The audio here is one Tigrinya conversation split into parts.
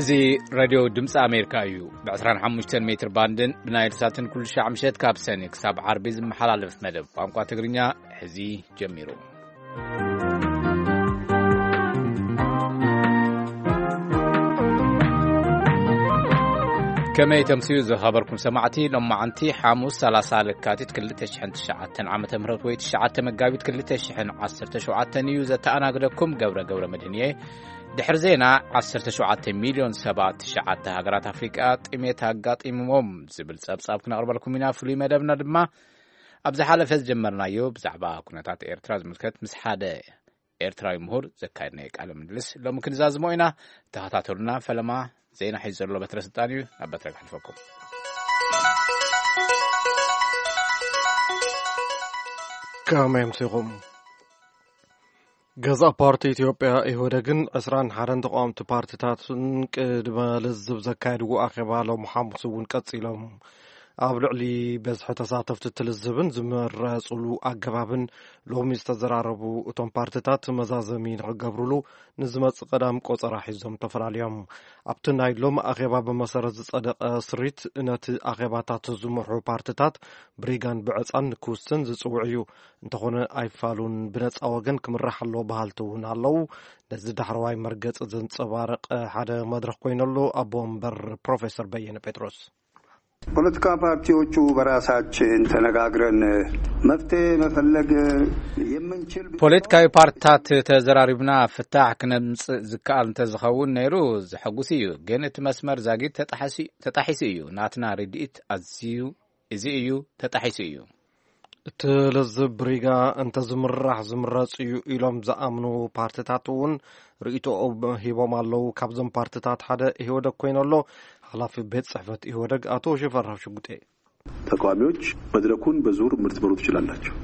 እዚ ሬድዮ ድምፂ ኣሜሪካ እዩ። ብ ዕስራን ሓሙሽተን ሜትር ባንድን ብናይል ሳትን ኩሉ ሻዕ ምሸት ካብ ሰኒ ክሳብ ዓርቢ ዝመሓላለፍ መደብ ቋንቋ ትግርኛ ሕዚ ጀሚሩ። ከመይ ተምስዩ ዝኸበርኩም ሰማዕቲ፣ ሎማዓንቲ ሓሙስ ሰላሳ ለካቲት ክልተ ሽሕን ትሽዓተን ዓመተ ምህረት ወይ ትሽዓተ መጋቢት ክልተ ሽሕን ዓሰርተ ሸውዓተን እዩ። ዘተኣናግደኩም ገብረ ገብረ መድህን እየ። ድሕሪ ዜና፣ ዓሰርተ ሸውዓተ ሚልዮን ሰባት ትሽዓተ ሃገራት ኣፍሪቃ ጥሜት ኣጋጢምዎም ዝብል ጸብጻብ ክነቕርበልኩም ኢና። ፍሉይ መደብና ድማ ኣብ ዝሓለፈ ዝጀመርናዮ ብዛዕባ ኩነታት ኤርትራ ዝምልከት ምስ ሓደ ኤርትራዊ ምሁር ዘካየድናዮ ቃለ ምልልስ ሎሚ ክንዛዝሞ ኢና። ተኸታተሉና። ፈለማ ዜና ሒዙ ዘሎ በትረ ስልጣን እዩ። ናብ በትረ ክሕልፈኩም። ከመይ ኣምሲኹም? ገዛእ ፓርቲ ኢትዮጵያ ኢህወደግን ዕስራን ሓደን ተቃወምቲ ፓርቲታትን ቅድመ ልዝብ ዘካየድዎ ኣኼባ ሎም ሓሙስ እውን ቀጺሎም። ኣብ ልዕሊ በዝሒ ተሳተፍቲ እቲ ልዝብን ዝመረጹሉ ኣገባብን ሎሚ ዝተዘራረቡ እቶም ፓርቲታት መዛዘሚ ንኽገብሩሉ ንዝመጽእ ቀዳም ቆጸራ ሒዞም ተፈላልዮም። ኣብቲ ናይ ሎም ኣኼባ ብመሰረት ዝጸደቐ ስሪት ነቲ ኣኼባታት ዝመርሑ ፓርቲታት ብሪጋን ብዕጻን ክውስን ዝጽውዕ እዩ። እንተኾነ ኣይፋሉን ብነጻ ወገን ክምራሕ ኣለዎ በሃልቲ እውን ኣለዉ። ነዚ ዳሕረዋይ መርገጺ ዘንጸባርቕ ሓደ መድረኽ ኮይነሉ ኣቦ ወንበር ፕሮፌሰር በየነ ጴጥሮስ። ፖለቲካ ፓርቲዎቹ በራሳችን ተነጋግረን መፍትሄ መፈለግ የምንችል ፖለቲካዊ ፓርቲታት ተዘራሪብና ፍታሕ ክነምጽእ ዝከኣል እንተዝኸውን ነይሩ ዘሐጉስ እዩ። ግን እቲ መስመር ዛጊድ ተጣሒሱ፣ ተጣሒሱ እዩ። ናትና ርድኢት ኣዝዩ እዚ እዩ ተጣሒሱ እዩ። እቲ ልዝብ ብሪጋ እንተዝምራሕ ዝምረጽ እዩ ኢሎም ዝኣምኑ ፓርቲታት እውን ርእይቶኦም ሂቦም ኣለዉ። ካብዞም ፓርቲታት ሓደ ኢህወደግ ኮይኑ ኣሎ። ሓላፊ ቤት ጽሕፈት ኢህወደግ ኣቶ ሽፈራው ሽጉጤ። ተቃዋሚዎች መድረኩን በዙር ልትመሩ ትችላላችሁ።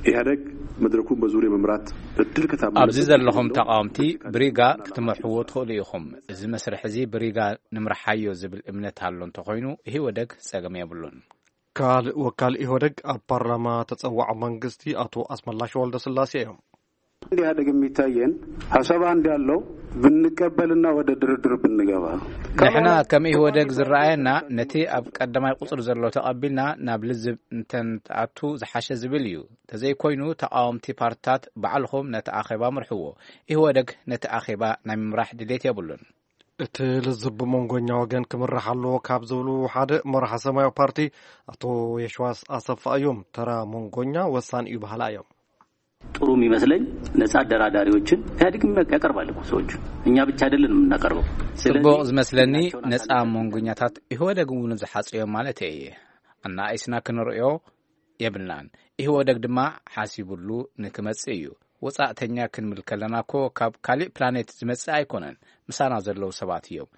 ኢህአደግ መድረኩን በዙር የመምራት እድል ከታምኑ ኣብዚ ዘለኹም ተቃወምቲ ብሪጋ ክትመርሕዎ ትኽእሉ ኢኹም። እዚ መስርሕ እዚ ብሪጋ ንምርሓዮ ዝብል እምነት ኣሎ እንተኾይኑ ኢህወደግ ጸገም የብሉን። ካልእ ወካል ኢህወደግ ኣብ ፓርላማ ተጸዋዒ መንግስቲ ኣቶ ኣስመላሽ ወልደስላሴ እዮም። ኢህአደግ የሚታየን ሀሳብ አንድ ያለው ብንቀበልና ወደ ድርድር ብንገባ። ንሕና ከም ኢህወደግ ዝረኣየና ነቲ ኣብ ቀዳማይ ቁጽሪ ዘሎ ተቐቢልና ናብ ልዝብ እንተንትኣቱ ዝሓሸ ዝብል እዩ። ተዘይኮይኑ ተቃወምቲ ፓርትታት ባዕልኹም ነቲ ኣኼባ ምርሕዎ። ኢህወደግ ነቲ ኣኼባ ናይ ምምራሕ ድሌት የብሉን። እቲ ልዝብ ብመንጎኛ ወገን ክምራሕ ኣለዎ ካብ ዝብሉ ሓደ መራሒ ሰማያዊ ፓርቲ ኣቶ የሽዋስ ኣሰፋ እዮም። ተራ መንጎኛ ወሳን እዩ በሃላ እዮም። ጥሩ የሚመስለኝ ነጻ አደራዳሪዎችን ኢህአዴግ ያቀርባል እኮ ሰዎች፣ እኛ ብቻ አይደለንም የምናቀርበው። ስለዚህ ጽቡቕ ዝመስለኒ ነጻ መንጎኛታት ኢህወደግ እውን ዝሓጽዮም ማለት እየ። ኣናኣይስና ክንርእዮ የብልናን። ኢህወደግ ድማ ሓሲቡሉ ንክመጽእ እዩ። ወጻእተኛ ክንብል ከለና እኮ ካብ ካሊእ ፕላኔት ዝመጽእ ኣይኮነን። ምሳና ዘለዉ ሰባት እዮም።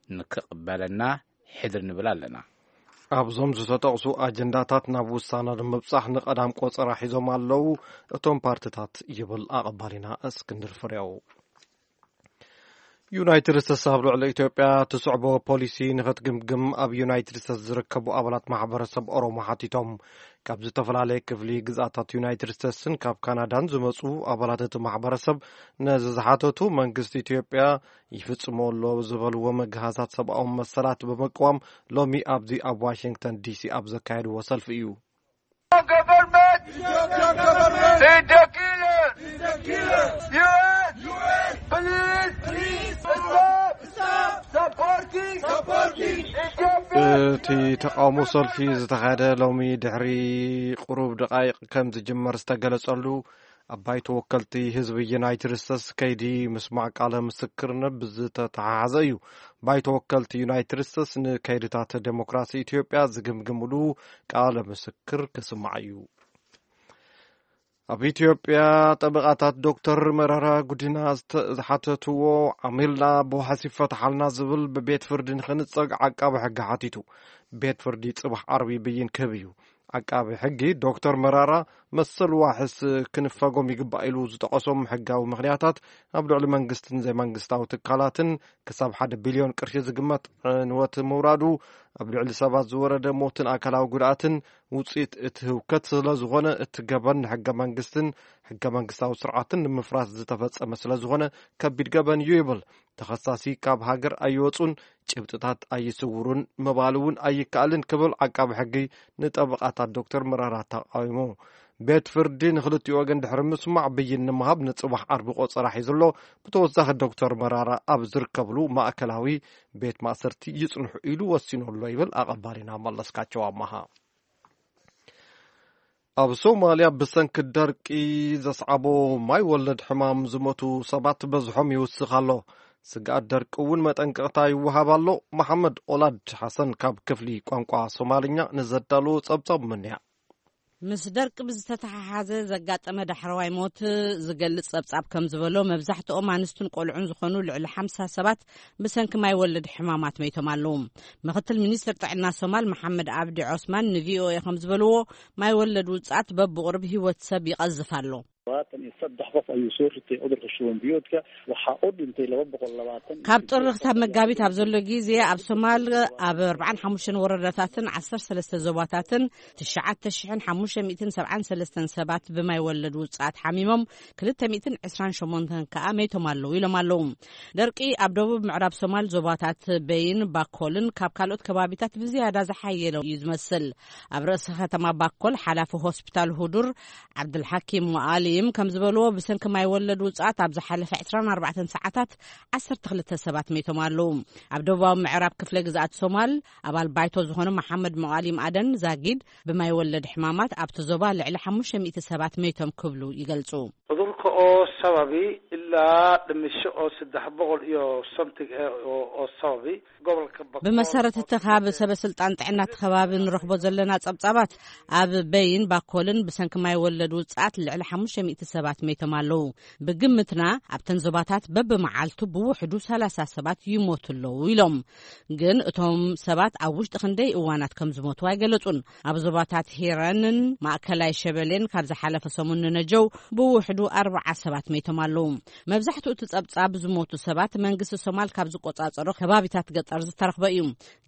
ንክቕበለና ሕድር ንብል ኣለና። ኣብዞም ዝተጠቕሱ ኣጀንዳታት ናብ ውሳነ ንምብጻሕ ንቐዳም ቆጸራ ሒዞም ኣለዉ እቶም ፓርቲታት ይብል ኣቐባሊና እስክንድር ፍሬው። ዩናይትድ ስቴትስ ኣብ ልዕሊ ኢትዮጵያ ትስዕቦ ፖሊሲ ንክትግምግም ኣብ ዩናይትድ ስቴትስ ዝርከቡ ኣባላት ማሕበረሰብ ኦሮሞ ሓቲቶም። ካብ ዝተፈላለየ ክፍሊ ግዝኣታት ዩናይትድ ስቴትስን ካብ ካናዳን ዝመፁ ኣባላት እቲ ማሕበረሰብ ነዚ ዝሓተቱ መንግስቲ ኢትዮጵያ ይፍፅሞ ኣሎ ዝበልዎ መግሃሳት ሰብኣዊ መሰላት ብምቅዋም ሎሚ ኣብዚ ኣብ ዋሽንግተን ዲሲ ኣብ ዘካየድዎ ሰልፊ እዩ። እቲ ተቃውሞ ሰልፊ ዝተኻየደ ሎሚ ድሕሪ ቁሩብ ደቃይቕ ከም ዝጅመር ዝተገለጸሉ ኣብ ባይቶ ወከልቲ ህዝቢ ዩናይትድ ስቴትስ ከይዲ ምስማዕ ቃለ ምስክርነት ብዝተተሓሓዘ እዩ። ባይቶ ወከልቲ ዩናይትድ ስቴትስ ንከይድታት ዴሞክራሲ ኢትዮጵያ ዝግምግምሉ ቃለ ምስክር ክስማዕ እዩ። ኣብ ኢትዮጵያ ጠበቓታት ዶክተር መረራ ጉዲና ዝሓተትዎ ዓሚልና ብዋሕስ ይፈትሓልና ዝብል ብቤት ፍርዲ ንክንጸግ ዓቃቢ ሕጊ ሓቲቱ። ቤት ፍርዲ ጽባሕ ዓርቢ ብይን ክህብ እዩ። ዓቃቢ ሕጊ ዶክተር መራራ መሰል ዋሕስ ክንፈጎም ይግባእ ኢሉ ዝጠቐሶም ሕጋዊ ምኽንያታት ኣብ ልዕሊ መንግስትን ዘይመንግስታዊ ትካላትን ክሳብ ሓደ ቢልዮን ቅርሺ ዝግመት ዕንወት ምውራዱ፣ ኣብ ልዕሊ ሰባት ዝወረደ ሞትን ኣካላዊ ጉድኣትን ውፅኢት እቲ ህውከት ስለዝኾነ እቲ ገበን ንሕገ መንግስትን ሕገ መንግስታዊ ስርዓትን ንምፍራስ ዝተፈጸመ ስለዝኾነ ከቢድ ገበን እዩ ይብል። ተኸሳሲ ካብ ሃገር ኣይወጹን፣ ጭብጥታት ኣይስውሩን ምባል እውን ኣይከኣልን ክብል ዓቃቢ ሕጊ ንጠበቓታት ዶክተር መራራ ተቃዊሙ። ቤት ፍርዲ ንክልቲኡ ወገን ድሕሪ ምስማዕ ብይን ንምሃብ ንጽባሕ ዓርቢ ቆጸራ ሒዙ ኣሎ። ብተወሳኺ ዶክተር መራራ ኣብ ዝርከብሉ ማእከላዊ ቤት ማእሰርቲ ይጽንሑ ኢሉ ወሲኑ ኣሎ ይብል ኣቐባሪና መለስካቸው ኣማሃ። ኣብ ሶማልያ ብሰንኪ ደርቂ ዘስዓቦ ማይ ወለድ ሕማም ዝሞቱ ሰባት በዝሖም ይውስኽ ኣሎ። ስግኣት ደርቂ እውን መጠንቀቕታ ይወሃብ ኣሎ። መሓመድ ኦላድ ሓሰን ካብ ክፍሊ ቋንቋ ሶማልኛ ንዘዳለዎ ጸብጻብ ምንያ። ምስ ደርቂ ብዝተተሓሓዘ ዘጋጠመ ዳሕረዋይ ሞት ዝገልጽ ጸብጻብ ከም ዝበሎ፣ መብዛሕትኦም ኣንስትን ቆልዑን ዝኾኑ ልዕሊ ሓምሳ ሰባት ብሰንኪ ማይ ወለድ ሕማማት መይቶም ኣለዉ። ምክትል ሚኒስትር ጥዕና ሶማል መሓመድ ኣብዲ ዖስማን ንቪኦኤ ከም ዝበልዎ፣ ማይ ወለድ ውጽኣት በብቑርብ ህይወት ሰብ ይቐዝፍ ኣሎ። Labaatan iyo saddex qof ayuu soo ritay cudurka shuban biyoodka. Waxaa u dhintay laba boqol labaatan. ካብ ጥሪ ክሳብ መጋቢት ኣብ ዘሎ ግዜ ኣብ ሶማል ኣብ ኣርባዓን ሓሙሽተን ወረዳታትን ዓሰርተ ሰለስተ ዞባታትን ትሽዓተ ሽሕን ሓሙሽተ ሚእትን ሰብዓን ሰለስተን ሰባት ብማይ ወለድ ውጽኣት ሓሚሞም፣ ክልተ ሚእትን ዕስራን ሸሞንተን ከኣ መይቶም ኣለዉ ኢሎም ኣለዉ። ደርቂ ኣብ ደቡብ ምዕራብ ሶማል ዞባታት በይን ባኮልን ካብ ካልኦት ከባቢታት ብዝያዳ ዝሓየለ እዩ ዝመስል። ኣብ ርእሲ ከተማ ባኮል ሓላፊ ሆስፒታል ሁዱር ዓብዱልሓኪም ሙኣሊም ከም ዝበልዎ፣ ብሰንኪ ማይ ወለድ ውጽኣት ኣብ ዝሓለፈ ዕስራን ኣርባዕተን ሰዓታት ዓሰርተ ክልተ ሰባት መይቶም ኣለዉ። ኣብ ደቡባዊ ምዕራብ ክፍለ ግዝኣት ሶማል ኣባል ባይቶ ዝኾኑ መሓመድ ሙኣሊም ኣደን ዛጊድ፣ ብማይ ወለድ ሕማማት ኣብቲ ዞባ ልዕሊ ሓሙሽተ ሚእቲ ሰባት መይቶም ክብሉ ይገልጹ። Cudurka oo sababi ilaa dhimasho oo saddex boqol iyo something eh oo oo sababi gobolka Bakool ብመሰረት እቲ ካብ ሰበ ስልጣን ጥዕና እቲ ከባቢ ንረኽቦ ዘለና ጸብጻባት፣ ኣብ በይን ባኮልን ብሰንኪ ማይ ወለድ ውጽኣት ልዕሊ ሓሙሽተ ሚእቲ ሰባት መይቶም ኣለዉ። ብግምትና ኣብተን ዞባታት በብመዓልቱ ብውሕዱ ሰላሳ ሰባት ይሞቱ ኣለዉ ኢሎም። ግን እቶም ሰባት ኣብ ውሽጢ ክንደይ እዋናት ከም ዝሞቱ ኣይገለጹን። ኣብ ዞባታት ሂረንን ማእከላይ ሸበሌን ካብ ዝሓለፈ ሰሙን ንነጀው ብውሕዱ ኣርብዓ ሰባት መይቶም ኣለዉ። መብዛሕትኡ እቲ ጸብጻብ ዝሞቱ ሰባት መንግስቲ ሶማል ካብ ዝቆጻጸሮ ከባቢታት ገጠር ዝተረኽበ እዩ።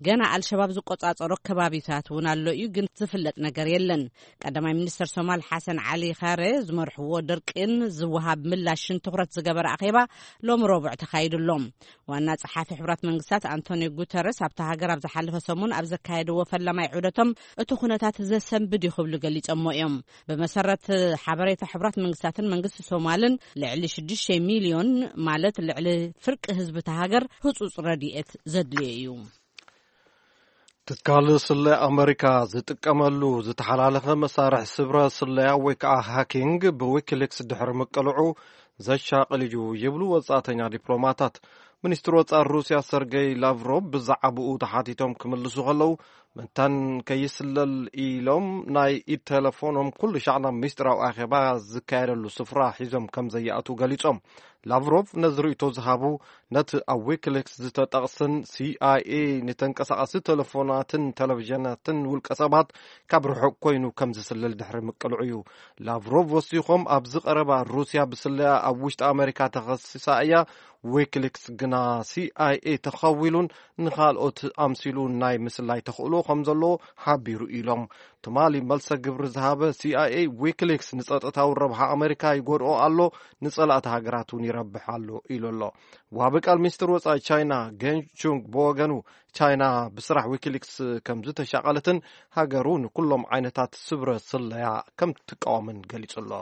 ገና ኣልሸባብ ዝቆጻጸሮ ከባቢታት እውን ኣሎ እዩ፣ ግን ዝፍለጥ ነገር የለን። ቀዳማይ ሚኒስተር ሶማል ሓሰን ዓሊ ኻሬ ዝመርሕዎ ድርቅን ዝወሃብ ምላሽን ትኹረት ዝገበረ ኣኼባ ሎሚ ረቡዕ ተኻይዱ ኣሎ። ዋና ጸሓፊ ሕቡራት መንግስታት ኣንቶኒዮ ጉተረስ ኣብታ ሃገር ኣብ ዝሓለፈ ሰሙን ኣብ ዘካየድዎ ፈላማይ ዑደቶም፣ እቲ ኩነታት ዘሰንብድ እዩ ክብሉ ገሊጾሞ እዮም። ብመሰረት ሓበሬታ ሕቡራት መንግስታትን መንግስቲ ሶማልን፣ ልዕሊ ሽዱሽተ ሚልዮን፣ ማለት ልዕሊ ፍርቂ ህዝቢ እታ ሃገር፣ ህጹጽ ረድኤት ዘድልዮ እዩ። ትካል ስለያ ኣመሪካ ዝጥቀመሉ ዝተሓላለኸ መሳርሒ ስብረ ስለያ ወይ ከዓ ሃኪንግ ብዊኪሊክስ ድሕሪ ምቅልዑ ዘሻቕል እዩ ይብሉ ወጻእተኛ ዲፕሎማታት። ሚኒስትር ወጻኢ ሩስያ ሰርጌይ ላቭሮቭ ብዛዕባኡ ተሓቲቶም ክምልሱ ከለዉ፣ መታን ከይስለል ኢሎም ናይ ኢድ ቴሌፎኖም ኩሉ ሻዕ ናብ ሚስጥራዊ ኣኼባ ዝካየደሉ ስፍራ ሒዞም ከም ዘይኣትዉ ገሊጾም። ላቭሮቭ ነዚ ርእይቶ ዝሃቡ፣ ነቲ ኣብ ዊኪሊክስ ዝተጠቕስን ሲ ኣይ ኤ ንተንቀሳቓሲ ቴሌፎናትን ቴሌቪዥናትን ውልቀ ሰባት ካብ ርሑቕ ኮይኑ ከም ዝስልል ድሕሪ ምቅልዑ እዩ። ላቭሮቭ ወሲኾም፣ ኣብዚ ቀረባ ሩስያ ብስለያ ኣብ ውሽጢ ኣመሪካ ተኸሲሳ እያ። ዊኪሊክስ ግና ሲ ኣይ ኤ ተኸዊሉን ንኻልኦት ኣምሲሉ ናይ ምስላይ ተኽእሎ ከም ዘለዎ ሓቢሩ ኢሎም። ትማሊ መልሰ ግብሪ ዝሃበ ሲ ኣይ ኤ፣ ዊኪሊክስ ንጸጥታዊ ረብሓ ኣመሪካ ይጎድኦ ኣሎ፣ ንጸላእቲ ሃገራት እውን ይረብሕ ኣሎ ኢሉ ኣሎ። ዋቢ ቃል ሚኒስትር ወጻኢ ቻይና ጌን ሹንግ ብወገኑ፣ ቻይና ብስራሕ ዊኪሊክስ ከም ዝተሻቐለትን ሃገሩ ንኩሎም ዓይነታት ስብረ ስለያ ከም ትቃወምን ገሊጹ ኣሎ።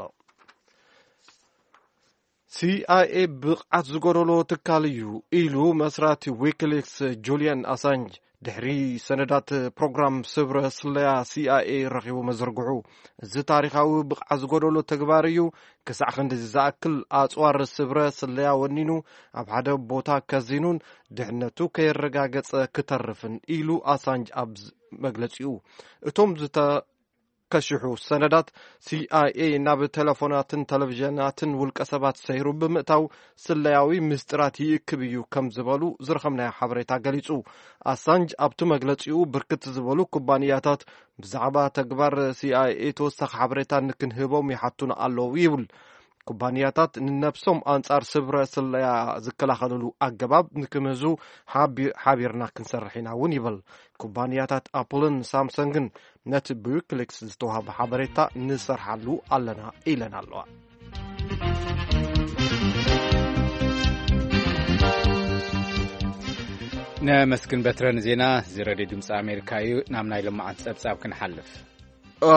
ሲ ኣይ ኤ ብቕዓት ዝጎደሎ ትካል እዩ ኢሉ መስራቲ ዊኪሊክስ ጁልያን ኣሳንጅ ድሕሪ ሰነዳት ፕሮግራም ስብረ ስለያ ሲ ኣይ ኤ ረኺቡ መዘርግሑ። እዚ ታሪኻዊ ብቕዓት ዝጎደሎ ተግባር እዩ። ክሳዕ ክንድዚ ዝኣክል ኣጽዋር ስብረ ስለያ ወኒኑ ኣብ ሓደ ቦታ ከዚኑን ድሕነቱ ከየረጋገጸ ክተርፍን ኢሉ ኣሳንጅ ኣብ መግለጺኡ። እቶም ዝተ ከሽሑ ሰነዳት ሲ ኣይ ኤ ናብ ቴሌፎናትን ቴሌቪዥናትን ውልቀ ሰባት ሰይሩ ብምእታው ስለያዊ ምስጢራት ይእክብ እዩ ከም ዝበሉ ዝረኸብናዮ ሓበሬታ ገሊጹ። ኣሳንጅ ኣብቲ መግለጺኡ፣ ብርክት ዝበሉ ኩባንያታት ብዛዕባ ተግባር ሲ ኣይ ኤ ተወሳኺ ሓበሬታ ንክንህቦም ይሓቱና ኣለዉ ይብል። ኩባንያታት ንነብሶም ኣንጻር ስብረ ስለያ ዝከላኸልሉ ኣገባብ ንክምህዙ ሓቢ-፣ ሓቢርና ክንሰርሕ ኢና እውን ይብል። ኩባንያታት ኣፕልን ሳምሰንግን ነቲ ብዊኪሊክስ ዝተዋህበ ሓበሬታ ንሰርሓሉ ኣለና ኢለን ኣለዋ። ነመስግን በትረ ንዜና እዚ ሬድዮ ድምፂ ኣሜሪካ እዩ። ናብ ናይ ልምዓት ጸብጻብ ክንሓልፍ።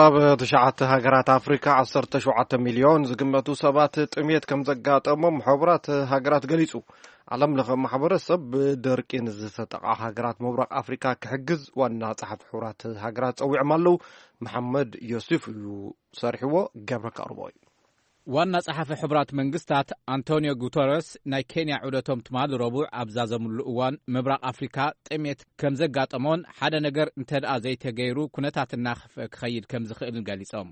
ኣብ ትሽዓተ ሃገራት ኣፍሪካ ዓሰርተ ሸውዓተ ሚልዮን ዝግመቱ ሰባት ጥሜት ከም ዘጋጠሞም ሕቡራት ሃገራት ገሊጹ። ዓለም ለኸ ማሕበረሰብ ብደርቂ ንዝተጠቓ ሃገራት ምብራቕ ኣፍሪካ ክሕግዝ ዋና ጸሓፊ ሕቡራት ሃገራት ጸዊዖም ኣለዉ። መሓመድ ዮሱፍ እዩ ሰሪሕዎ። ገብረ ከቕርቦ እዩ። ዋና ጸሓፊ ሕቡራት መንግስታት ኣንቶኒዮ ጉተረስ ናይ ኬንያ ዑደቶም ትማሊ ረቡዕ ኣብ ዛዘምሉ እዋን፣ ምብራቕ ኣፍሪካ ጥሜት ከም ዘጋጠሞን ሓደ ነገር እንተ ደኣ ዘይተገይሩ ኩነታት እናኸፍአ ክኸይድ ከም ዝኽእልን ገሊጾም።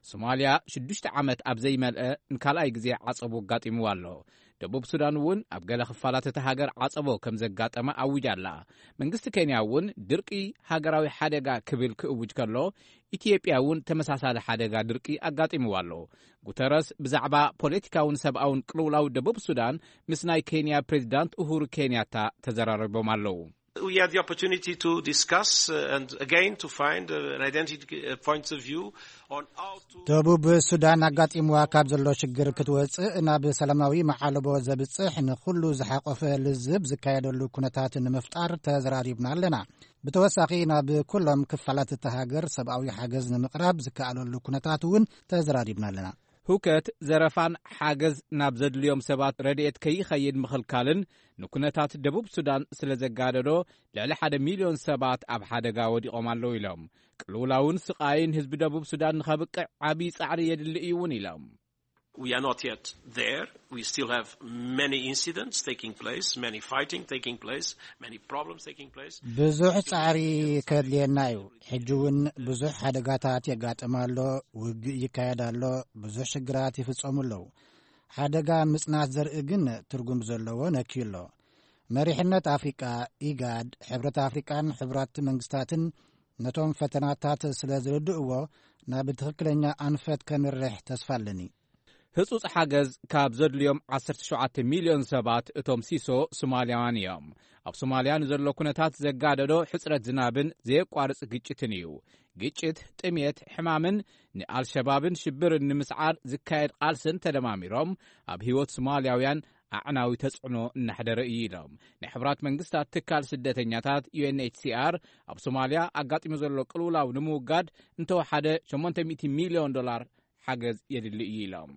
ሶማልያ ሽዱሽተ ዓመት ኣብ ዘይመልአ ንካልኣይ ግዜ ዓጸቦ ኣጋጢምዋ ኣሎ። ደቡብ ሱዳን እውን ኣብ ገለ ክፋላት እታ ሃገር ዓጸቦ ከም ዘጋጠመ ኣዊጃ ኣላ። መንግስቲ ኬንያ እውን ድርቂ ሃገራዊ ሓደጋ ክብል ክእውጅ ከሎ፣ ኢትዮጵያ እውን ተመሳሳሊ ሓደጋ ድርቂ ኣጋጢምዋ ኣሎ። ጉተረስ ብዛዕባ ፖለቲካውን ሰብኣውን ቅልውላው ደቡብ ሱዳን ምስ ናይ ኬንያ ፕሬዚዳንት ኡሁሩ ኬንያታ ተዘራሪቦም ኣለዉ። We had the opportunity to discuss, uh, and again to find, uh, an identity, uh, points of view on how to ደቡብ ሱዳን ኣጋጢምዋ ካብ ዘሎ ሽግር ክትወፅእ ናብ ሰላማዊ መዓለቦ ዘብፅሕ ንኩሉ ዝሓቆፈ ልዝብ ዝካየደሉ ኩነታት ንምፍጣር ተዘራሪብና ኣለና። ብተወሳኺ ናብ ኩሎም ክፋላት እታ ሃገር ሰብኣዊ ሓገዝ ንምቕራብ ዝከኣለሉ ኩነታት እውን ተዘራሪብና ኣለና። ህውከት፣ ዘረፋን ሓገዝ ናብ ዘድልዮም ሰባት ረድኤት ከይኸይድ ምኽልካልን ንኩነታት ደቡብ ሱዳን ስለ ዘጋደዶ፣ ልዕሊ ሓደ ሚልዮን ሰባት ኣብ ሓደጋ ወዲቖም ኣለዉ ኢሎም። ቅልውላውን ስቓይን ህዝቢ ደቡብ ሱዳን ንኸብቅዕ ዓብዪ ጻዕሪ የድሊ እዩ እውን ኢሎም። We are not yet there. We still have many incidents taking place, many fighting taking place, many problems taking place. ብዙሕ ጻዕሪ ከድልየና እዩ። ሕጂ እውን ብዙሕ ሓደጋታት የጋጥም ኣሎ፣ ውግእ ይካየድ ኣሎ፣ ብዙሕ ሽግራት ይፍጸሙ ኣለዉ። ሓደጋ ምጽናት ዘርኢ ግን ትርጉም ዘለዎ ነክዩ ኣሎ። መሪሕነት ኣፍሪቃ፣ ኢጋድ፣ ሕብረት ኣፍሪቃን ሕቡራት መንግስታትን ነቶም ፈተናታት ስለ ዝርድእዎ ናብ ትኽክለኛ ኣንፈት ከምርሕ ተስፋ ኣለኒ። ህጹጽ ሓገዝ ካብ ዘድልዮም ዓሰርተ ሸውዓተ ሚልዮን ሰባት እቶም ሲሶ ሶማልያውያን እዮም። ኣብ ሶማልያ ንዘሎ ኩነታት ዘጋደዶ ሕጽረት ዝናብን ዘየቋርጽ ግጭትን እዩ። ግጭት፣ ጥሜት፣ ሕማምን ንኣልሸባብን ሽብርን ንምስዓር ዝካየድ ቃልስን ተደማሚሮም ኣብ ህይወት ሶማልያውያን ኣዕናዊ ተጽዕኖ እናሕደረ እዩ ኢሎም። ናይ ሕቡራት መንግስታት ትካል ስደተኛታት ዩ ኤን ኤች ሲ ኣር ኣብ ሶማልያ ኣጋጢሙ ዘሎ ቅልውላው ንምውጋድ እንተወሓደ ሸሞንተ ሚእቲ ሚልዮን ዶላር ሓገዝ የድሊ እዩ ኢሎም።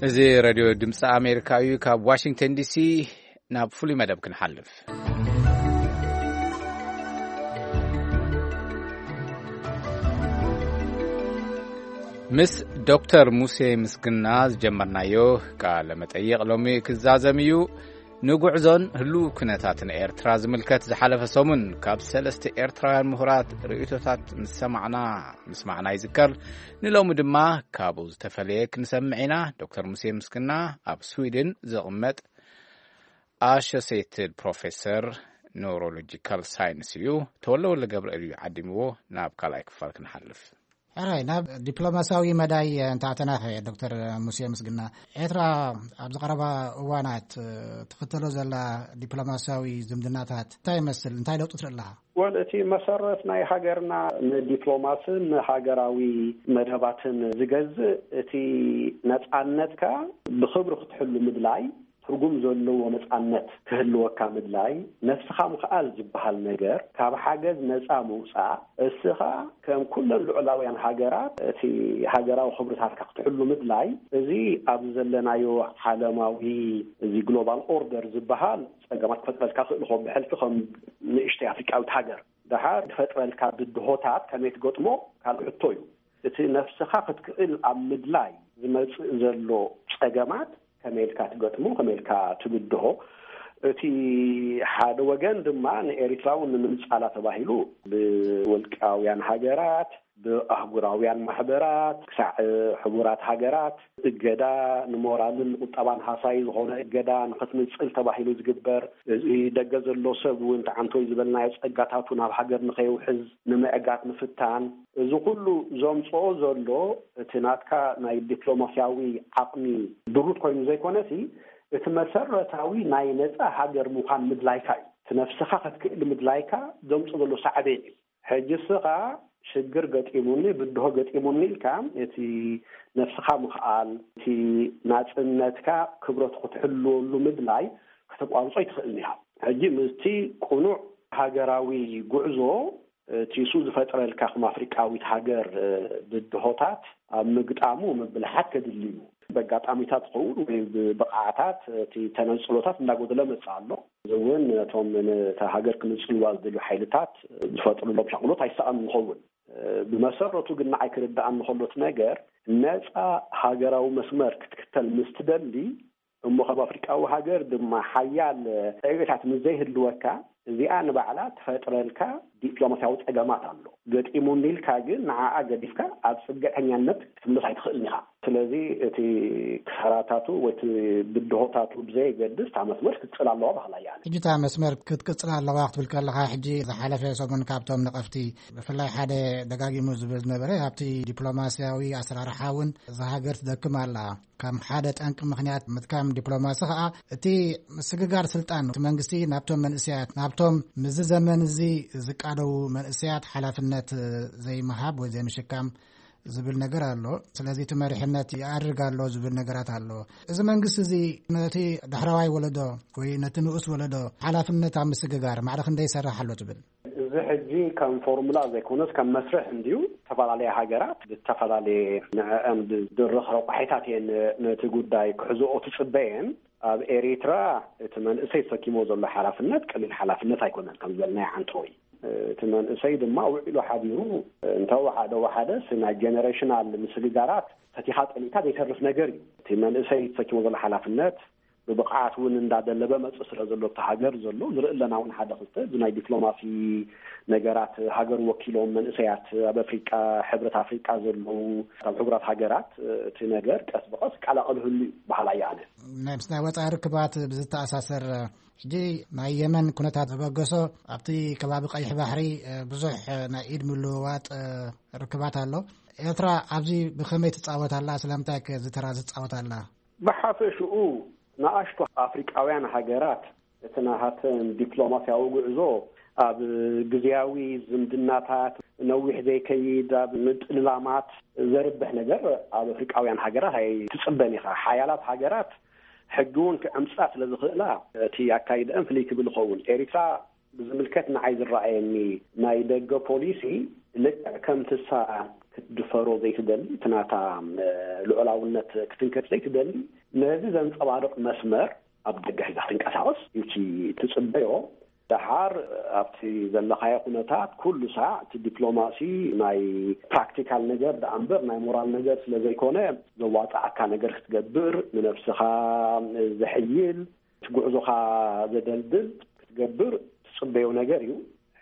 እዚ ሬድዮ ድምፂ ኣሜሪካ እዩ። ካብ ዋሽንግተን ዲሲ ናብ ፍሉይ መደብ ክንሓልፍ። ምስ ዶክተር ሙሴ ምስግና ዝጀመርናዮ ቃለ መጠይቕ ሎሚ ክዛዘም እዩ። ንጉዕዞን ህሉው ኩነታትን ኤርትራ ዝምልከት ዝሓለፈ ሰሙን ካብ ሰለስተ ኤርትራውያን ምሁራት ርእይቶታት ምስ ሰማዕና ምስማዕና ይዝከር። ንሎሚ ድማ ካብኡ ዝተፈለየ ክንሰምዕ ኢና። ዶክተር ሙሴ ምስግና ኣብ ስዊድን ዝቕመጥ ኣሶሴትድ ፕሮፌሰር ኒውሮሎጂካል ሳይንስ እዩ። ተወልደ ወልደ ገብርኤል እዩ ዓዲምዎ። ናብ ካልኣይ ክፋል ክንሓልፍ። ሕራይ፣ ናብ ዲፕሎማሲያዊ መዳይ እንተኣተናኸ፣ ዶክተር ሙሴ ምስግና፣ ኤርትራ ኣብዚ ቀረባ እዋናት ትኽተሎ ዘላ ዲፕሎማሲያዊ ዝምድናታት እንታይ ይመስል? እንታይ ለውጢ ትርኢ ኣለኻ? ወል፣ እቲ መሰረት ናይ ሃገርና ንዲፕሎማስን ንሃገራዊ መደባትን ዝገዝእ፣ እቲ ነጻነትካ ብኽብሪ ክትሕሉ ምድላይ፣ ትርጉም ዘለዎ ነጻነት ክህልወካ ምድላይ፣ ነፍስኻ ምኽኣል ዝበሃል ነገር፣ ካብ ሓገዝ ነጻ ምውጻእ፣ እስኻ ከም ኩለን ልዑላውያን ሃገራት እቲ ሃገራዊ ክብርታትካ ክትሕሉ ምድላይ፣ እዚ ኣብዚ ዘለናዮ ዓለማዊ፣ እዚ ግሎባል ኦርደር ዝበሃል ጸገማት ክፈጥረልካ ክእል፣ ከም ብሕልፊ ከም ንእሽተይ ኣፍሪቃዊት ሃገር። ደሓር ክፈጥረልካ ብድሆታት ከመይ ትገጥሞ ካልእ ሕቶ እዩ። እቲ ነፍስኻ ክትክእል ኣብ ምድላይ ዝመጽእ ዘሎ ጸገማት ከመይ ኢልካ ትገጥሞ፣ ከመይ ኢልካ ትብድሆ። እቲ ሓደ ወገን ድማ ንኤሪትራ እውን ንምንጻላ ተባሂሉ ብውልቃውያን ሃገራት፣ ብኣህጉራውያን ማሕበራት፣ ክሳዕ ሕቡራት ሃገራት እገዳ፣ ንሞራልን ንቁጠባን ሃሳዪ ዝኾነ እገዳ ንኽትንጽል ተባሂሉ ዝግበር፣ እዚ ደገ ዘሎ ሰብ እውን ተዓንቶይ ዝበልናዮ ጸጋታቱ ናብ ሃገር ንኸየውሕዝ ንምዕጋት ምፍታን፣ እዚ ኩሉ ዘምጽኦ ዘሎ እቲ ናትካ ናይ ዲፕሎማስያዊ ዓቕሚ ድሩት ኮይኑ ዘይኮነሲ፣ እቲ መሰረታዊ ናይ ነጻ ሃገር ምዃን ምድላይካ እዩ። እቲ ነፍስኻ ክትክእል ምድላይካ ዘምጽኦ ዘሎ ሳዕቤን እዩ። ሕጂ እስኻ ሽግር ገጢሙኒ፣ ብድሆ ገጢሙኒ ኢልካ እቲ ነፍስኻ ምኽኣል፣ እቲ ናጽነትካ፣ ክብረቱ ክትሕልወሉ ምድላይ ከተቋርጾ ኣይትኽእልን ኢኻ። ሕጂ ምስቲ ቅኑዕ ሃገራዊ ጉዕዞ እቲ እሱ ዝፈጥረልካ ከም ኣፍሪቃዊት ሃገር ብድሆታት ኣብ ምግጣሙ ምብልሓት ከድሊ እዩ። በጋጣሚታት ዝኸውን ወይ ብብቕዓታት እቲ ተነጽሎታት እንዳጎደለ መጽእ ኣሎ። እዚ እውን ነቶም ነታ ሃገር ክምጽልዋ ዝደልዩ ሓይልታት ዝፈጥሩሎም ሻቕሎት ኣይሰኣን ዝኸውን። ብመሰረቱ ግን ንዓይ ክርዳኣኒ ከሎ እቲ ነገር ነጻ ሃገራዊ መስመር ክትክተል ምስ ትደሊ እሞ ከም ኣፍሪቃዊ ሃገር ድማ ሓያል ዕቤታት ምስ ዘይህልወካ እዚኣ ንባዕላ ትፈጥረልካ ዲፕሎማስያዊ ጸገማት ኣሎ። ገጢሙኒ ኢልካ ግን ንዓኣ ገዲፍካ ኣብ ጽግዕተኛነት ክትምለስ ኣይትኽእልን ኢኻ። ስለዚ እቲ ክሳራታቱ ወይ እቲ ብድሆታቱ ብዘየገድስ እታ መስመር ክትጽል ኣለዋ በሃላይ እየ ኣነ። ሕጂ እታ መስመር ክትቅጽል ኣለዋ ክትብል ከለኻ፣ ሕጂ ዝሓለፈ ሰሙን ካብቶም ነቐፍቲ ብፍላይ ሓደ ደጋጊሙ ዝብል ዝነበረ፣ ኣብቲ ዲፕሎማስያዊ ኣሰራርሓ እውን እዛ ሃገር ትደክም ኣላ። ከም ሓደ ጠንቂ ምኽንያት ምጥቃም ዲፕሎማሲ ኸኣ እቲ ምስግጋር ስልጣን፣ እቲ መንግስቲ ናብቶም መንእሰያት፣ ናብቶም ምስዚ ዘመን እዚ ዝቃደዉ መንእሰያት ሓላፍነት ዘይምሃብ ወይ ዘይምሽካም ዝብል ነገር ኣሎ። ስለዚ እቲ መሪሕነት ይኣርግ ኣሎ ዝብል ነገራት ኣሎ። እዚ መንግስቲ እዚ ነቲ ዳሕረዋይ ወለዶ ወይ ነቲ ንኡስ ወለዶ ሓላፍነት ኣብ ምስግጋር ማዕረ ክንደይ ይሰርሕ ኣሎ ትብል? እዚ ሕጂ ከም ፎርሙላ ዘይኮነስ ከም መስርሕ እንድዩ። ዝተፈላለያ ሃገራት ዝተፈላለየ ንዕአን ብድርኽ ረቋሒታት እየን ነቲ ጉዳይ ክሕዝኦ ትጽበየን። ኣብ ኤሪትራ እቲ መንእሰይ ተሰኪሞ ዘሎ ሓላፍነት ቀሊል ሓላፍነት ኣይኮነን፣ ከም ዝበልናዮ ዓንተወይ። እቲ መንእሰይ ድማ ውዒሉ ሓዲሩ እንተወሓደ ወሓደስ ናይ ጀነሬሽናል ምስግጋራት ፈቲኻ ጠሊእካ ዘይተርፍ ነገር እዩ። እቲ መንእሰይ ተሰኪሞ ዘሎ ሓላፍነት ብብቕዓት እውን እንዳደለበ መጽእ ስለ ዘሎ ኣብቲ ሃገር ዘሎ ንርኢ ኣለና እውን ሓደ ክልተ እዚ ናይ ዲፕሎማሲ ነገራት ሃገር ወኪሎም መንእሰያት ኣብ ኣፍሪቃ፣ ሕብረት ኣፍሪቃ ዘለዉ ኣብ ሕቡራት ሃገራት እቲ ነገር ቀስ ብቐስ ይቀላቐል ህሉ እዩ በሃላይ ኣነ። ናይ ምስ ናይ ወጻኢ ርክባት ብዝተኣሳሰር ሕጂ ናይ የመን ኩነታት ዘበገሶ ኣብቲ ከባቢ ቀይሕ ባሕሪ ብዙሕ ናይ ኢድ ምልውዋጥ ርክባት ኣሎ። ኤርትራ ኣብዚ ብኸመይ ትጻወት ኣላ? ስለምንታይ ከ እዚ ተራ ዝጻወት ኣላ? ብሓፈሽኡ ንኣሽቱ ኣፍሪቃውያን ሃገራት እቲ ናሃተን ዲፕሎማስያዊ ጉዕዞ ኣብ ግዝያዊ ዝምድናታት ነዊሕ ዘይከይድ ኣብ ምጥልላማት ዘርብሕ ነገር ኣብ ኣፍሪቃውያን ሃገራት ኣይትጽበን ኢኻ። ሓያላት ሃገራት ሕጊ እውን ክዕምጻ ስለ ዝኽእላ እቲ ኣካይደአን ፍልይ ክብል ይኸውን። ኤሪትራ ብዝምልከት ንዓይ ዝረኣየኒ ናይ ደገ ፖሊሲ ልክዕ ከምቲ እሳ ክትድፈሮ ዘይትደሊ፣ እቲ ናታ ልዑላውነት ክትንከፍ ዘይትደሊ፣ ነዚ ዘንጸባርቕ መስመር ኣብ ደገ ሒዛ ክትንቀሳቐስ እዩ እቲ ትጽበዮ። ደሓር ኣብቲ ዘለኻዮ ኩነታት ኩሉ ሳዕ እቲ ዲፕሎማሲ ናይ ፕራክቲካል ነገር ደኣ እምበር ናይ ሞራል ነገር ስለ ዘይኮነ ዘዋጽኣካ ነገር ክትገብር፣ ንነብስኻ ዘሕይል፣ እቲ ጉዕዞኻ ዘደልድል ክትገብር ትጽበዮ ነገር እዩ።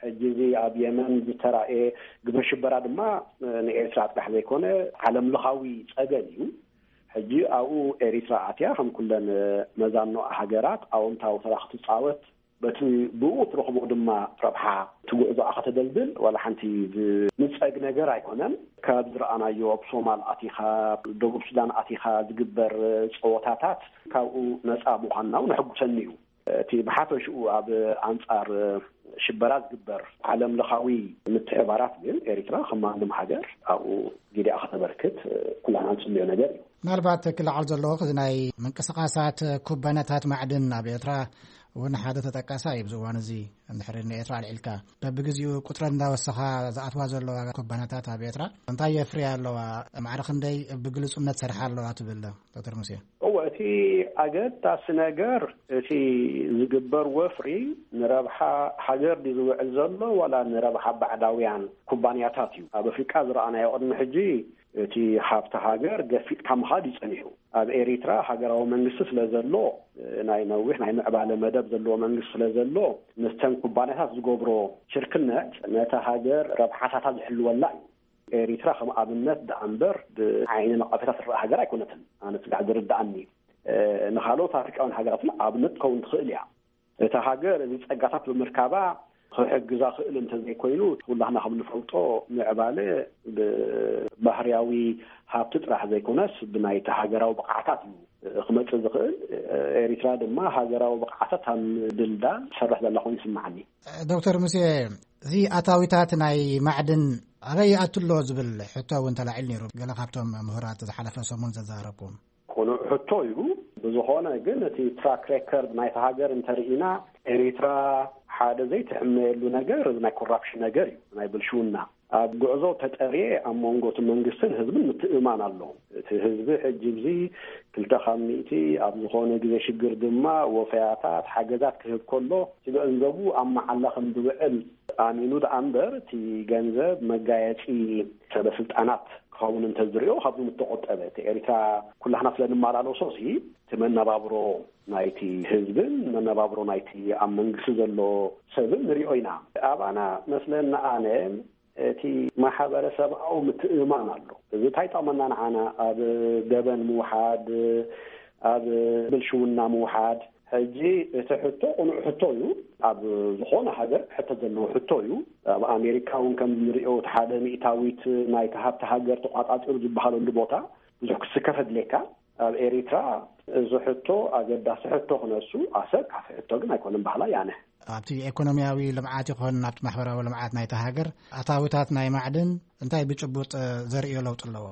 ሕጂ እዚ ኣብ የመን ዝተራእየ ግብረ ሽበራ ድማ ንኤርትራ ጥራሕ ዘይኮነ ዓለም ለኻዊ ጸገም እዩ። ሕጂ ኣብኡ ኤሪትራ ኣትያ ከም ኩለን መዛኖ ሃገራት ኣወንታዊ ተራ ክትጻወት በቲ ብኡ ትረኽቦ ድማ ረብሓ እቲ ጉዕዞኣ ከተደልድል ዋላ ሓንቲ ዝንጸግ ነገር ኣይኮነን። ካብ ዝረኣናዮ ኣብ ሶማል ኣቲኻ ደቡብ ሱዳን ኣቲኻ ዝግበር ጸወታታት ካብኡ ነጻ ምዃንና እውን ኣሕጉሰኒ እዩ። እቲ ብሓፈሽኡ ኣብ ኣንጻር ሽበራ ዝግበር ዓለም ለኻዊ ምትሕባራት ግን ኤሪትራ ከም ማንም ሃገር ኣብኡ ግዲኣ ከተበርክት ኩላና ንጽልዮ ነገር እዩ። ምናልባት ክለዓል ዘለዎ እዚ ናይ ምንቅስቃሳት ኩባንያታት ማዕድን ኣብ ኤርትራ እውን ሓደ ተጠቃሳይ እዩ። ኣብዚ እዋን እዚ እንድሕር ንኤርትራ ኣልዒልካ በብግዜኡ ቁፅረን እንዳወሰኻ ዝኣትዋ ዘለዋ ኩባንያታት ኣብ ኤርትራ እንታይ የፍርያ ኣለዋ? ማዕረ ክንደይ ብግልፁነት ሰርሓ ኣለዋ ትብል ዶክተር ሙሴ? እወ፣ እቲ ኣገዳሲ ነገር እቲ ዝግበር ወፍሪ ንረብሓ ሃገር ድዩ ዝውዕል ዘሎ ዋላ ንረብሓ ባዕዳውያን ኩባንያታት እዩ? ኣብ ኣፍሪቃ ዝረኣናዮ ቅድሚ ሕጂ እቲ ሃብቲ ሃገር ገፊጥካ ምኻድ እዩ ጸኒሑ። ኣብ ኤሪትራ ሃገራዊ መንግስቲ ስለ ዘሎ፣ ናይ ነዊሕ ናይ ምዕባለ መደብ ዘለዎ መንግስቲ ስለ ዘሎ፣ ምስተን ኩባንያታት ዝገብሮ ሽርክነት ነታ ሃገር ረብሓታታ ዝሕልወላ እዩ። ኤሪትራ ከም ኣብነት ደኣ እምበር ብዓይኒ ነቐፌታ ትረኣ ሃገር ኣይኮነትን። ኣነ ስጋዕ ዝርድኣኒ፣ ንኻልኦት ኣፍሪቃውያን ሃገራት እውን ኣብነት ትኸውን ትኽእል እያ። እታ ሃገር እዚ ጸጋታት ብምርካባ ክሕግዛ ክእል እንተዘይኮይኑ፣ ኩላህና ከም ንፈልጦ ምዕባለ ብባህርያዊ ሃብቲ ጥራሕ ዘይኮነስ ብናይቲ ሃገራዊ ብቕዓታት እዩ ክመጽእ ዝኽእል። ኤሪትራ ድማ ሃገራዊ ብቕዓታት ኣብ ምድልዳል ትሰርሕ ዘላ ኮይኑ ይስምዓኒ። ዶክተር ሙሴ፣ እዚ ኣታዊታት ናይ ማዕድን ኣበይ ይኣቱ ኣሎ ዝብል ሕቶ እውን ተላዒሉ ነይሩ። ገለ ካብቶም ምሁራት ዝሓለፈ ሰሙን ዘዛረብኩም። ቅኑዕ ሕቶ እዩ። ብዝኾነ ግን እቲ ትራክ ሬከርድ ናይታ ሃገር እንተርኢና፣ ኤሪትራ ሓደ ዘይትሕመየሉ ነገር እዚ ናይ ኮራፕሽን ነገር እዩ፣ ናይ ብልሽውና። ኣብ ጉዕዞ ተጠርየ ኣብ መንጎ እቲ መንግስትን ህዝብን ምትእምማን ኣሎ። እቲ ህዝቢ ሕጂ እዚ ክልተ ካብ ሚእቲ ኣብ ዝኾነ ግዜ ሽግር ድማ ወፈያታት ሓገዛት ክህብ ከሎ፣ እቲ ገንዘቡ ኣብ መዓላ ከም ዝውዕል ኣሚኑ ደኣ እምበር፣ እቲ ገንዘብ መጋየፂ ሰበ ስልጣናት ክኸውን እንተዝሪኦ ካብዚ ምተቆጠበ። እቲ ኤሪትራ ኩላህና ስለ ንመላለሶ ሲ እቲ መነባብሮ ናይቲ ህዝብን መነባብሮ ናይቲ ኣብ መንግስቲ ዘሎ ሰብን ንሪኦ ኢና። ኣባና መስለና ኣነ እቲ ማሕበረሰባዊ ምትእምማን ኣሎ። እዚ እንታይ ይጠቕመና ንዓና? ኣብ ገበን ምውሓድ፣ ኣብ ብልሽውና ምውሓድ። ሕጂ እቲ ሕቶ ቅኑዕ ሕቶ እዩ። ኣብ ዝኾነ ሃገር ሕቶ ዘለዎ ሕቶ እዩ። ኣብ ኣሜሪካ እውን ከም ንሪኦ እቲ ሓደ ሚእታዊት ናይቲ ሃብቲ ሃገር ተቋጻጺሩ ዝበሃለሉ ቦታ ብዙሕ ክስከፍ ኣድልየካ። ኣብ ኤሪትራ እዚ ሕቶ ኣገዳሲ ሕቶ ክነሱ ኣሰብ ካፊ ሕቶ ግን ኣይኮነን በሃላይ ኣነ። ኣብቲ ኢኮኖሚያዊ ልምዓት ይኾን ኣብቲ ማሕበራዊ ልምዓት ናይቲ ሃገር ኣታዊታት ናይ ማዕድን እንታይ ብጭቡጥ ዘርእዮ ለውጢ ኣለዎ?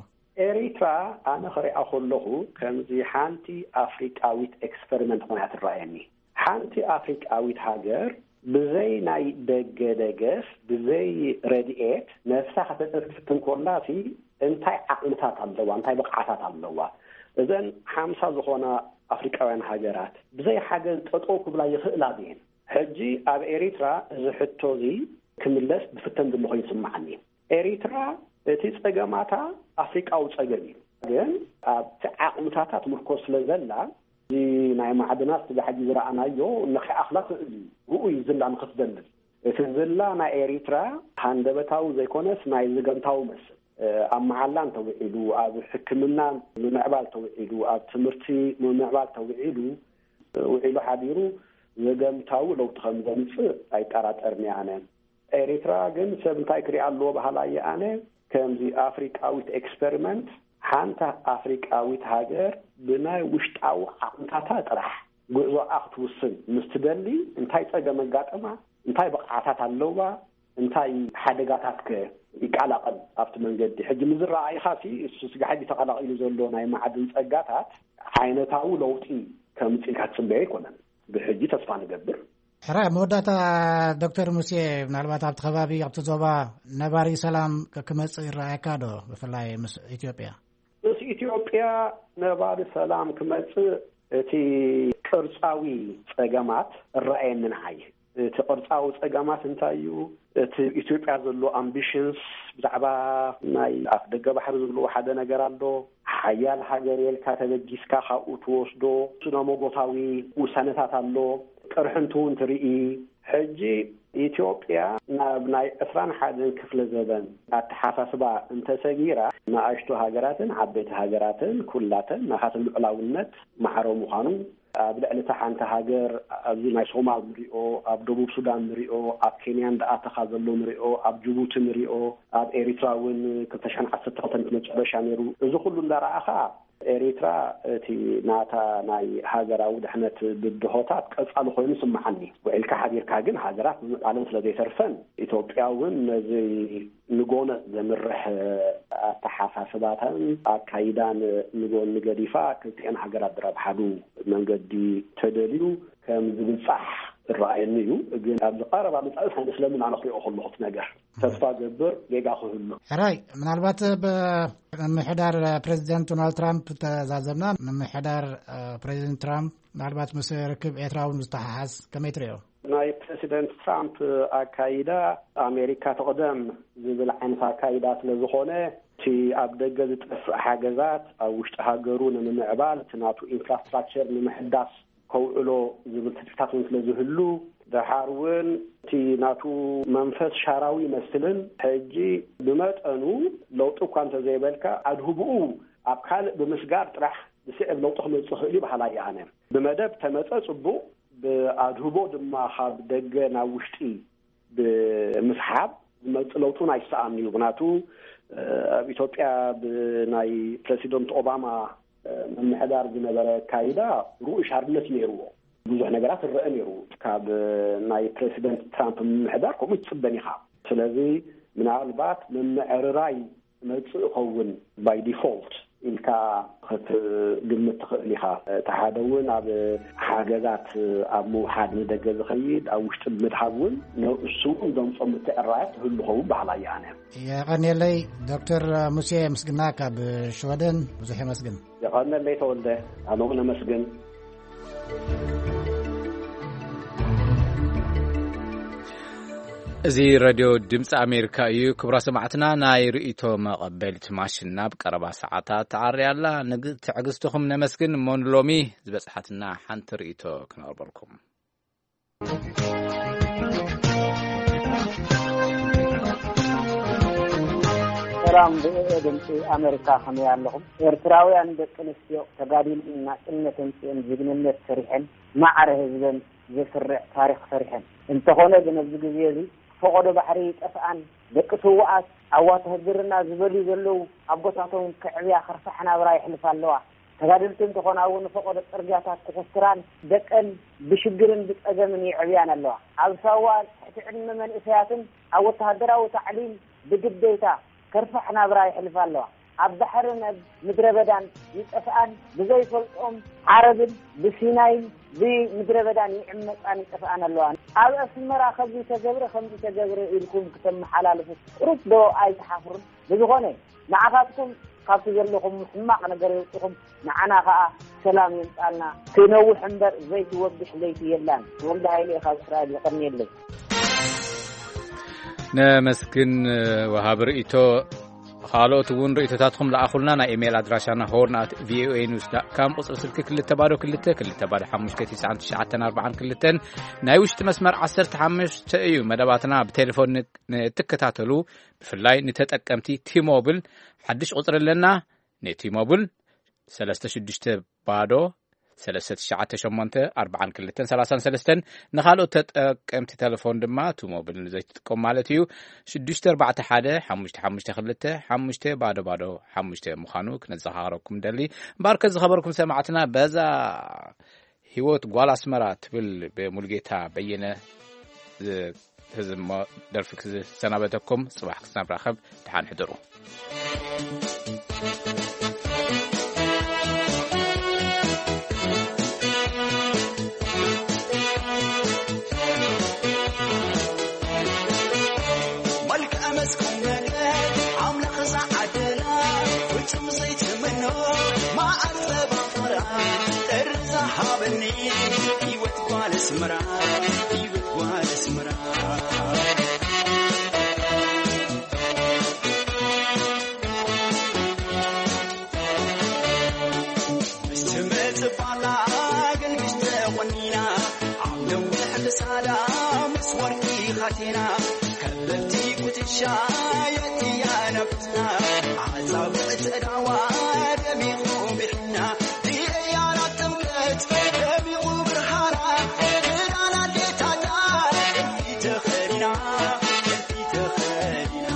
ኤሪትራ ኣነ ክሪኣ ከለኹ ከምዚ ሓንቲ ኣፍሪቃዊት ኤክስፐሪመንት ኮይና ትረኣየኒ። ሓንቲ ኣፍሪቃዊት ሃገር ብዘይ ናይ ደገ ደገፍ፣ ብዘይ ረድኤት ነብሳ ከተጥርፍ ክትፍትን ከላ ሲ እንታይ ዓቕምታት ኣለዋ? እንታይ ብቕዓታት ኣለዋ? እዘን ሓምሳ ዝኾና ኣፍሪቃውያን ሃገራት ብዘይ ሓገዝ ጠጠው ክብላ ይኽእላ ድየን? ሕጂ ኣብ ኤሪትራ እዚ ሕቶ እዚ ክምለስ ዝፍተን ዘሎ ኮይኑ ይስምዓኒ። ኤሪትራ እቲ ጸገማታ ኣፍሪቃዊ ጸገም እዩ። ግን ኣብቲ ዓቕምታታ ትምርኮስ ስለ ዘላ፣ እዚ ናይ ማዕድናት ስጋ ሕጂ ዝረኣናዮ ንኸይኣኽላ ክእል እዩ። ብኡ እዩ ዝላ ንኽትዘልል። እቲ ዝላ ናይ ኤሪትራ ሃንደበታዊ ዘይኮነስ ናይ ዘገምታዊ መስል። ኣብ መዓላ እንተውዒሉ፣ ኣብ ሕክምና ምምዕባል ተውዒሉ፣ ኣብ ትምህርቲ ምምዕባል ተውዒሉ፣ ውዒሉ ሓዲሩ ዘገምታዊ ለውጢ ከም ዘምጽእ ኣይጠራጠርን እየ ኣነ። ኤሪትራ ግን ሰብ እንታይ ክሪኣ ኣለዎ በሃላይ ኣነ፣ ከምዚ ኣፍሪቃዊት ኤክስፐሪመንት፣ ሓንታ ኣፍሪቃዊት ሃገር ብናይ ውሽጣዊ ዓቕምታታ ጥራሕ ጉዕዞኣ ክትውስን ምስ ትደሊ፣ እንታይ ጸገም ኣጋጠማ፣ እንታይ ብቕዓታት ኣለዋ፣ እንታይ ሓደጋታት ከ ይቀላቐል ኣብቲ መንገዲ? ሕጂ ምስ ዝረኣይኻ ሲ፣ እሱ ስጋ ሕጂ ተቐላቒሉ ዘሎ ናይ ማዕድን ጸጋታት ዓይነታዊ ለውጢ ከምጽእ ኢልካ ትጽበዮ ኣይኮነን። ብሕጂ ተስፋ ንገብር። ሕራይ፣ መወዳእታ ዶክተር ሙሴ፣ ምናልባት ኣብቲ ከባቢ፣ ኣብቲ ዞባ ነባሪ ሰላም ክ-፣ ክመጽእ ይረኣየካ ዶ? ብፍላይ ምስ ኢትዮጵያ። ምስ ኢትዮጵያ ነባሪ ሰላም ክመጽእ እቲ ቅርጻዊ ጸገማት እረኣየኒ ንዓይ። እቲ ቅርጻዊ ጸገማት እንታይ እዩ? እቲ ኢትዮጵያ ዘሎ ኣምቢሽንስ ብዛዕባ ናይ ኣፍ ደገ ባሕሪ ዝብልዎ ሓደ ነገር ኣሎ። ሓያል ሃገር የልካ ተበጊስካ ካብኡ ትወስዶ ስነ መጎታዊ ውሳነታት ኣሎ። ቅርሕንቱ እውን ትርኢ። ሕጂ ኢትዮጵያ ናብ ናይ ዕስራን ሓደን ክፍለ ዘበን ኣተሓሳስባ እንተሰጊራ፣ ንኣሽቱ ሃገራትን ዓበይቲ ሃገራትን ኩላተን ናታተን ልዑላውነት ማዕረ ምዃኑ፣ ኣብ ልዕሊ እታ ሓንቲ ሃገር ኣብዚ ናይ ሶማል ንሪኦ፣ ኣብ ደቡብ ሱዳን ንሪኦ፣ ኣብ ኬንያ እንዳኣተኻ ዘሎ ንሪኦ፣ ኣብ ጅቡቲ ንሪኦ፣ ኣብ ኤሪትራ እውን ክልተ ሽሕን ዓሰርተ ክልተን እቲ መጨረሻ ነይሩ። እዚ ኩሉ እንዳረኣኻ ኤሪትራ እቲ ናታ ናይ ሃገራዊ ድሕነት ብድሆታት ቀጻሊ ኮይኑ ይስምዓኒ። ውዒልካ ሓዲርካ ግን ሃገራት ምምዕባለን ስለ ዘይተርፈን፣ ኢትዮጵያ እውን ነዚ ንጎነጽ ዘምርሕ ኣተሓሳስባታን ኣካይዳን ንጎኒ ገዲፋ ክልቲኤን ሃገራት ዝረብሓሉ መንገዲ ተደልዩ ከም ዝብጻሕ ዝረኣየኒ እዩ። ግን ኣብዚ ቀረባ መጻኢ ኣይመስለንን ኣነ ክሪኦ ከለኹ እቲ ነገር። ተስፋ ገብር ጌጋ ክህሉ። ሕራይ፣ ምናልባት ብ-፣ ምምሕዳር ፕሬዚደንት ዶናልድ ትራምፕ ተዛዘምና፣ ምምሕዳር፣ እ፣ ፕሬዚደንት ትራምፕ ምናልባት ምስ ርክብ ኤርትራ እውን ዝተሓሓዝ ከመይ ትሪኦ? ናይ ፕሬዚደንት ትራምፕ ኣካይዳ ኣሜሪካ ትቕደም ዝብል ዓይነት ኣካይዳ ስለ ዝኾነ፣ እቲ ኣብ ደገ ዝጠፍእ ሓገዛት ኣብ ውሽጢ ሃገሩ ንምምዕባል፣ እቲ ናቱ ኢንፍራስትራክቸር ንምሕዳስ ከውዕሎ ዝብል ትጽቢታት እውን ስለ ዝህሉ፣ ደሓር እውን እቲ ናቱ መንፈስ ሻራዊ ይመስልን፣ ሕጂ ብመጠኑ ለውጢ እኳ እንተዘይበልካ፣ ኣድህቦኡ ኣብ ካልእ ብምስጋር ጥራሕ ዝስዕብ ለውጢ ክመጽእ ይኽእል እዩ በሃላይ እየ ኣነ። ብመደብ ተመጸ ጽቡቕ፣ ብኣድህቦ ድማ ካብ ደገ ናብ ውሽጢ ብምስሓብ ዝመጽእ ለውጢ እውን ኣይሰኣን እዩ። ምኽንያቱ፣ እ፣ ኣብ ኢትዮጵያ ብናይ ፕረሲደንት ኦባማ፣ እ፣ ምምሕዳር ዝነበረ ኣካይዳ ርኡይ ሻርነት ነይርዎ። ብዙሕ ነገራት ይረአ ነይሩ። ካብ ናይ ፕረሲደንት ትራምፕ ምምሕዳር ከምኡ ትጽበን ኢኻ። ስለዚ ምናልባት ምምዕርራይ መጽእ ይኸውን ባይ ዲፎልት ኢልካ ክትግምት ትኽእል ኢኻ። እቲ ሓደ እውን ኣብ ሓገዛት ኣብ ምውሓድ ንደገ ዝኸይድ፣ ኣብ ውሽጢ ምድሃብ እውን ንእሱ እውን ዘምጾ ምትዕርራያት ይህሉ ኸውን በሃላይ እየ ኣነ። የቐንየለይ ዶክተር ሙሴ ምስግና ካብ ሽወደን ብዙሕ የመስግን። የቐንየለይ ተወልደ፣ ኣነ እውን ኣመስግን። እዚ ሬድዮ ድምፂ ኣሜሪካ እዩ። ክቡራ ሰማዕትና፣ ናይ ርእይቶ መቐበሊት ማሽን ናብ ቀረባ ሰዓታት ተዓርያ ኣላ። ንግ-፣ ትዕግስትኹም ነመስግን። እሞ ንሎሚ ዝበፅሓትና ሓንቲ ርእይቶ ክነቕርበልኩም። ሰላም፣ ቪኦኤ ድምፂ ኣሜሪካ፣ ከመይ ኣለኹም? ኤርትራውያን ደቂ ኣንስትዮ ተጋዲለን ናጽነት ኣምጺኤን፣ ጅግንነት ሰሪሐን፣ ማዕረ ህዝበን ዘስርዕ ታሪኽ ሰሪሐን። እንተኾነ ግን ኣብዚ ግዜ እዚ ፈቐዶ ባሕሪ ይጠፍኣን፣ ደቂ ስውኣት ኣብ ዋተ ህግርና ዝበልዩ ዘለዉ ኣቦታቶም ከዕብያ ከርፋሕ ናብራ የሕልፋ ኣለዋ። ተጋደልቲ እንተኾና እውን ፈቐዶ ጽርግያታት ክኹስትራን ደቀን ብሽግርን ብጸገምን የዕብያን ኣለዋ። ኣብ ሳዋ ትሕቲ ዕድመ መንእሰያትን ኣብ ወተሃደራዊ ታዕሊም ብግዴታ ከርፋሕ ናብራ የሕልፋ ኣለዋ። ኣብ ባሕርን ኣብ ምድረ በዳን ይጠፍኣን፣ ብዘይፈልጦም ዓረብን ብሲናይን ብምድረ በዳን ይዕመጻን ይጠፍኣን ኣለዋ። ኣብ ኣስመራ ከምዚ ተገብረ፣ ከምዚ ተገብረ ኢልኩም ክተመሓላልፉ ቁሩብ ዶ ኣይትሓፍሩን? ብዝኾነ ንዓኻትኩም ካብቲ ዘለኹም ሕማቕ ነገር የውጽኹም፣ ንዓና ኸኣ ሰላም የምጻልና። ክነውሕ እምበር ዘይትወግሕ ለይቲ የላን። ተወልደ ሃይለ እየ ካብ እስራኤል፣ የቐንየለይ። ነመስግን ወሃቢ ርእይቶ። ካልኦት እውን ርእይቶታትኩም ለኣኹልና። ናይ ኢሜይል ኣድራሻና ሆርን ኣት ቪኦኤ ኒውስ ዳት ካም፣ ቁጽሪ ስልኪ ክልተ ባዶ ክልተ፣ ክልተ ባዶ ሓሙሽተ፣ ትሽዓን ትሽዓተን ኣርባዓን ክልተን፣ ናይ ውሽጢ መስመር ዓሰርተ ሓሙሽተ እዩ። መደባትና ብቴሌፎን ን-፣ ንእትከታተሉ፣ ብፍላይ ንተጠቀምቲ ቲሞብል ሓድሽ ቁጽሪ ኣለና። ንቲሞብል ሰለስተ ሽዱሽተ ባዶ ሰለስተ ትሽዓተ ሸሞንተ ኣርባዓን ክልተን ሰላሳን ሰለስተን፣ ንኻልኦት ተጠቀምቲ ቴሌፎን ድማ፣ ቲሞብል ንዘይትጥቀሙ ማለት እዩ፣ ሽዱሽተ ኣርባዕተ ሓደ ሓሙሽተ ሓሙሽተ ክልተ ሓሙሽተ ባዶ ባዶ ሓሙሽተ ምዃኑ ክነዘኻኽረኩም ደሊ። እምበኣርከ ዝኸበርኩም ሰማዕትና፣ በዛ ህይወት ጓል ኣስመራ ትብል ብሙሉጌታ በየነ ዝ-፣ ተዝሞ ደርፊ ክዝሰናበተኩም፣ ጽባሕ ክሳብ ንራኸብ፣ ደሓን ሕደሩ። መልክዕ መስኩም ነገር ኣምላኽ ዝዓደላ፣ ፍጹም ዘይትምኖ መዓር ጸባ ፍቕራ፣ ጥሪ ዝሃበኒ ህይወት ጓል ኣስመራ፣ ህይወት ጓል ኣስመራ። ምስ ትመጽእ ባላ ገልግሽ ተቖኒና፣ ኣብ ነዊሕ ክሳዳ ምስ ወርቂ ኻቴና፣ ከበድቲ ኩትሻ የእትያ ነብስና፣ ኣጻብዕቲ ኣእዳዋ ደሚቑ ብሕና፣ ዲያና ጥምቀት ደሚቑ ብርሃና፣ ክዳን ኣዴታታ ጥልፊ ተኸዲና፣ ጥልፊ ተኸዲና።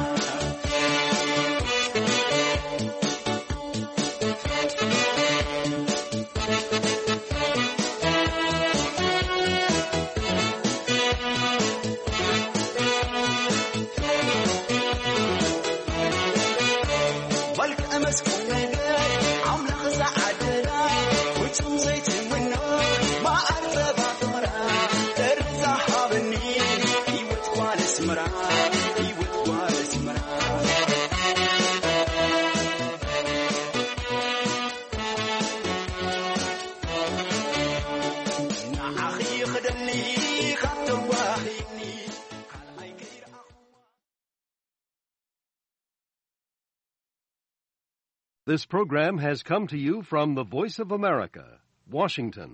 መልክዕ መስኩም ነገር ኣምላኽ ዝዓደላ፣ ፍጹም ዘይትምኖ መዓር ጸባ ፍቕራ፣ ጥሪ ዝሃበኒ ህይወት ጓል ኣስመራ፣ ህይወት ጓል ኣስመራ። ንዓኺ ክደሊ ካብ ተዋሂኒ፣ ካልኣይ ከይረኣኹ። This program has come to you from the Voice of America, Washington.